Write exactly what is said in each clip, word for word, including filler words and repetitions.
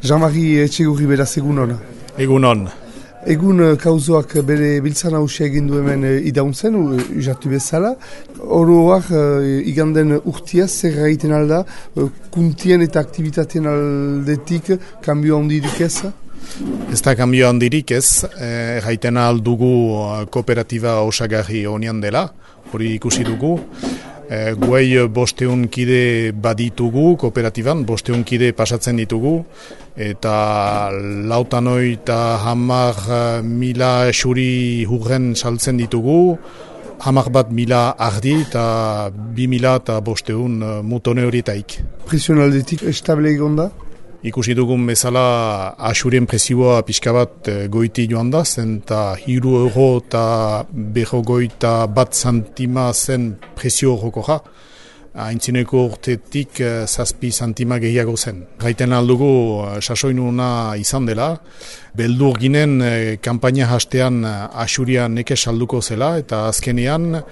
Jean-Marie Etxegurri beraz egun hona. Egun hon. Egun kauzoak bere biltzan hausia egin du hemen idauntzen, usatu bezala. Oroak iganden urtia zer gaiten alda, kuntien eta aktivitateen aldetik kanbio handirik ez? Ez da kanbio handirik ez, gaiten aldugu kooperatiba osagarri honian dela, hori ikusi dugu. E, guai bosteun kide baditugu kooperatiban, bosteun kide pasatzen ditugu, eta lautanoi eta hamar mila xuri hurren saltzen ditugu, hamar bat mila ardi eta bi mila eta bosteun mutone horietaik. Presionaldetik estable egon da? Ikusi dugun bezala asurien presioa pixka bat goiti joan da, zen eta hiru euro eta beho goita bat santima zen presio horroko ja. Aintzineko urtetik zazpi santima gehiago zen. Gaiten aldugu sasoinuna izan dela, beldur ginen kampaina hastean asuria neke salduko zela, eta azkenean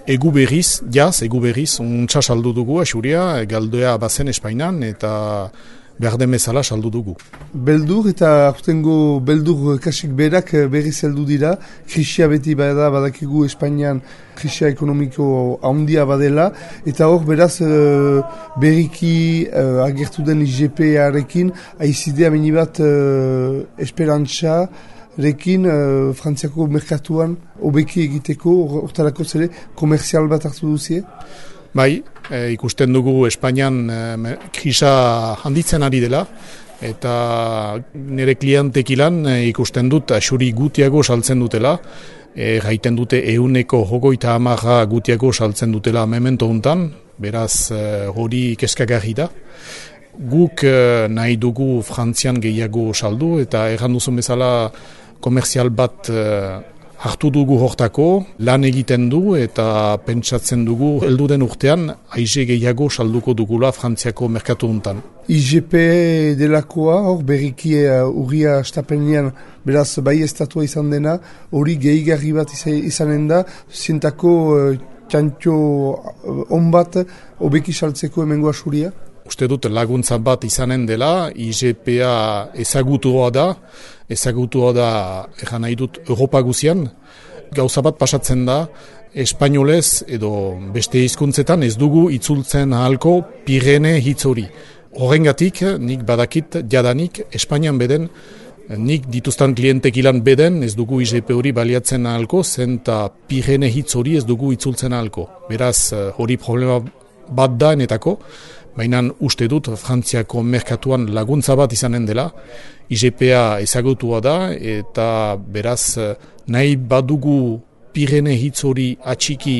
egu berriz, jaz, egu berriz, untsa saldu dugu asuria, galdoea bazen Espainan, eta behar den bezala saldu dugu. Beldur eta aurtengo beldur kasik berak berriz heldu dira, krisia beti bada badakigu Espainian krisia ekonomiko handia badela, eta hor beraz berriki uh, agertu den I G P-arekin aizidea meni bat uh, esperantza rekin uh, Frantziako merkatuan hobeki egiteko, hortarako zere komerzial bat hartu duzie? Bai, e, ikusten dugu Espainian e, krisa handitzen ari dela, eta nire klientekilan e, ikusten dut asuri gutiago saltzen dutela, e, gaiten dute euneko jogoita amarra gutiago saltzen dutela memento hontan, beraz e, hori keskagarri da. Guk e, nahi dugu Frantzian gehiago saldu, eta erran duzun bezala komerzial bat e, hartu dugu hortako, lan egiten du eta pentsatzen dugu helduden urtean aize gehiago salduko dugula Frantziako merkatu hontan. I G P delakoa, hor berriki uh, urria astapenean beraz bai estatua izan dena, hori gehigarri bat izanen da, zientako uh, txantxo uh, on bat hobeki saltzeko hemengo asuria? Uste dut laguntza bat izanen dela, I G P-a ezagutua da, ezagutua da, egan nahi dut, Europa guzian, gauza bat pasatzen da, espainolez edo beste hizkuntzetan ez dugu itzultzen ahalko Pirene hitz hori. Horrengatik, nik badakit jadanik, Espainian beden, nik dituztan klientekilan beden, ez dugu I G P hori baliatzen ahalko, zen eta Pirene hitz hori ez dugu itzultzen ahalko. Beraz, hori problema bat da enetako, baina uste dut Frantziako merkatuan laguntza bat izanen dela, I G P-a ezagutua da, eta beraz nahi badugu Pirene hitz hori atxiki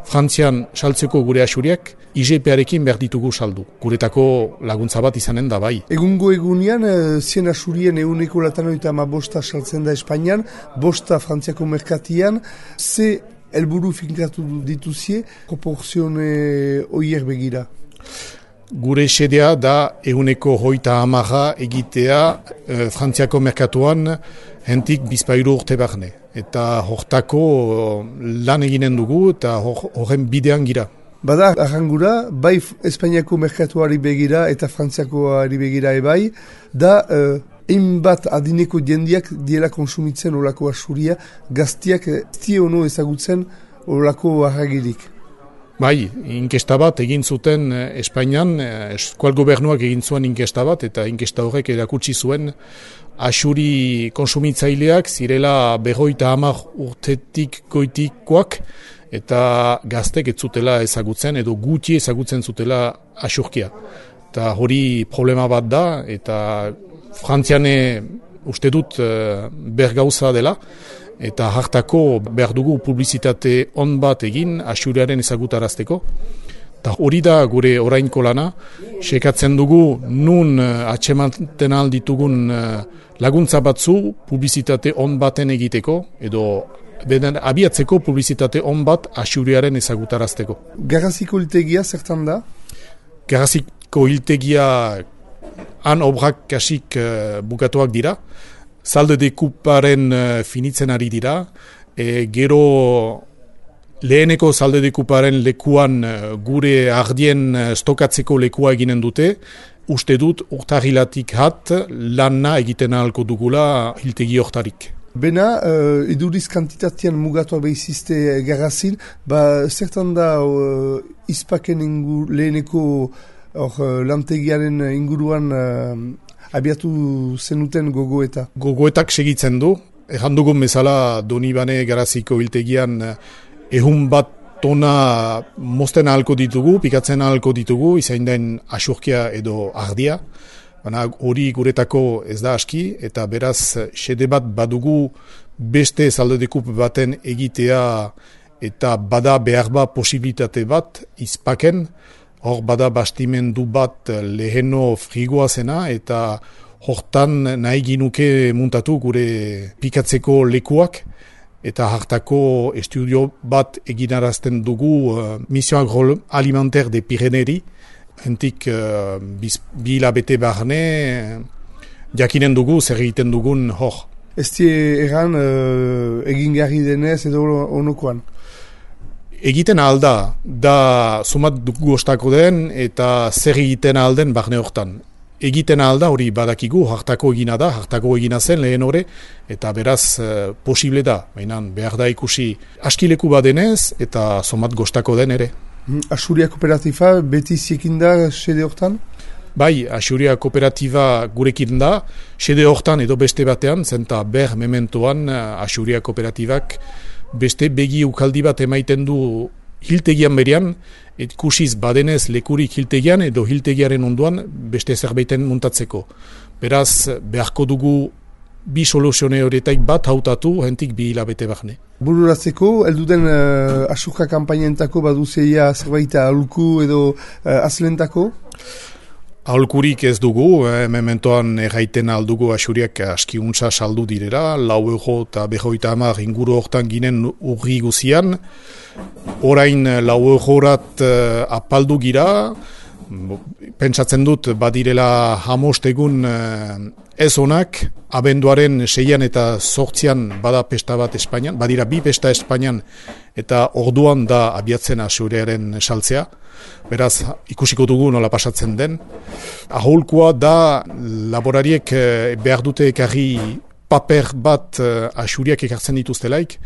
Frantzian saltzeko gure asuriak, I G P-arekin behar ditugu saldu. Guretako laguntza bat izanen da bai. Egungo egunean, zien asurien eguneko latanoita ama bosta saltzen da Espainian, bosta Frantziako merkatian, ze helburu finkatu dituzie, proporzione oier begira? Gure xedea da eguneko hoita amarra egitea e, Frantziako merkatuan hentik bizpairu urte barne. Eta hortako lan eginen dugu eta horren bidean gira. Bada, arrangura, bai Espainiako merkatuari begira eta Frantziakoari begira ebai, da egin bat adineko jendiak diela konsumitzen olako asuria, gaztiak esti ono ezagutzen olako arragirik. Bai, inkesta bat egin zuten Espainian, eskual gobernuak egin zuen inkesta bat, eta inkesta horrek erakutsi zuen asuri konsumitzaileak zirela berroita hamar urtetik goitikoak, eta gaztek ez zutela ezagutzen, edo guti ezagutzen zutela asurkia. Eta hori problema bat da, eta Frantziane uste dut bergauza dela, eta hartako behar dugu publizitate on bat egin asuriaren ezagutarazteko. Eta hori da gure orainko lana, sekatzen dugu nun atsematen alditugun laguntza batzu publizitate on baten egiteko, edo beden abiatzeko publizitate on bat asuriaren ezagutarazteko. Garraziko hiltegia zertan da? Garraziko hiltegia han obrak kasik uh, bukatuak dira, Zalde dekuparen uh, finitzen ari dira, e, gero leheneko zalde dekuparen lekuan uh, gure ardien uh, stokatzeko lekua eginen dute, uste dut urtarrilatik hat lana egiten ahalko dugula hiltegi hortarik. Bena, uh, eduriz kantitatean mugatua behizizte garrazin, ba, zertan da uh, izpaken ingur, leheneko or, uh, lantegiaren inguruan uh, abiatu zenuten gogoeta? Gogoetak segitzen du, erran dugun bezala Donibane Garaziko hiltegian ehun bat tona mozten ahalko ditugu, pikatzen ahalko ditugu, izain den asurkia edo ardia. Baina hori guretako ez da aski, eta beraz xede bat badugu beste zaldedekup baten egitea eta bada behar bat posibilitate bat izpaken, hor bada bastimendu bat leheno frigoa zena eta hortan nahi ginuke muntatu gure pikatzeko lekuak eta hartako estudio bat eginarazten dugu uh, Mission Agroalimentaire de Pyrénées. Hentik uh, bi hilabete barne jakinen dugu zer egiten dugun hor. Ez die egan uh, egin garri denez edo onokoan? Egiten alda, da sumat dugu ostako den eta zer egiten alden barne hortan. Egiten alda hori badakigu, hartako egina da, hartako egina zen lehen hori, eta beraz uh, posible da, baina behar da ikusi askileku badenez eta sumat gostako den ere. Asuria kooperatiba beti ziekin da sede hortan? Bai, Asuria kooperatiba gurekin da, sede hortan edo beste batean, zenta ber mementoan Asuria kooperatibak beste begi ukaldi bat emaiten du hiltegian berian, et kusiz badenez lekurik hiltegian edo hiltegiaren onduan beste zerbaiten muntatzeko. Beraz, beharko dugu bi soluzione horretaik bat hautatu hentik bi hilabete barne. Bururatzeko, elduden uh, asuka kampainentako baduzeia zerbaita aholku edo uh, azlentako? Aholkurik ez dugu, eh, mementoan erraiten aldugu Asuriak askiuntza saldu direra, lau euro eta behoita hamar inguru hortan ginen urri guzian. Orain lau eurorat uh, apaldu gira, pentsatzen dut badirela hamost egun uh, ez onak, abenduaren seian eta zortzian bada pesta bat Espainian, badira bi pesta Espainian eta orduan da abiatzen Asuriaren saltzea. Beraz, ikusiko dugu nola pasatzen den. Aholkoa da laborariek eh, behar dute ekarri paper bat eh, Asuriak ekartzen dituztelaik.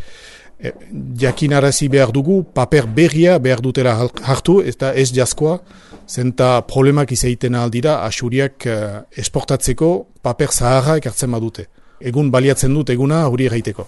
Eh, jakinarazi behar dugu, paper berria behar dutela hartu, eta ez jazkoa, zenta problemak izaiten aldira Asuriak eh, esportatzeko paper zaharra ekartzen badute. Egun baliatzen dut eguna hori erraiteko.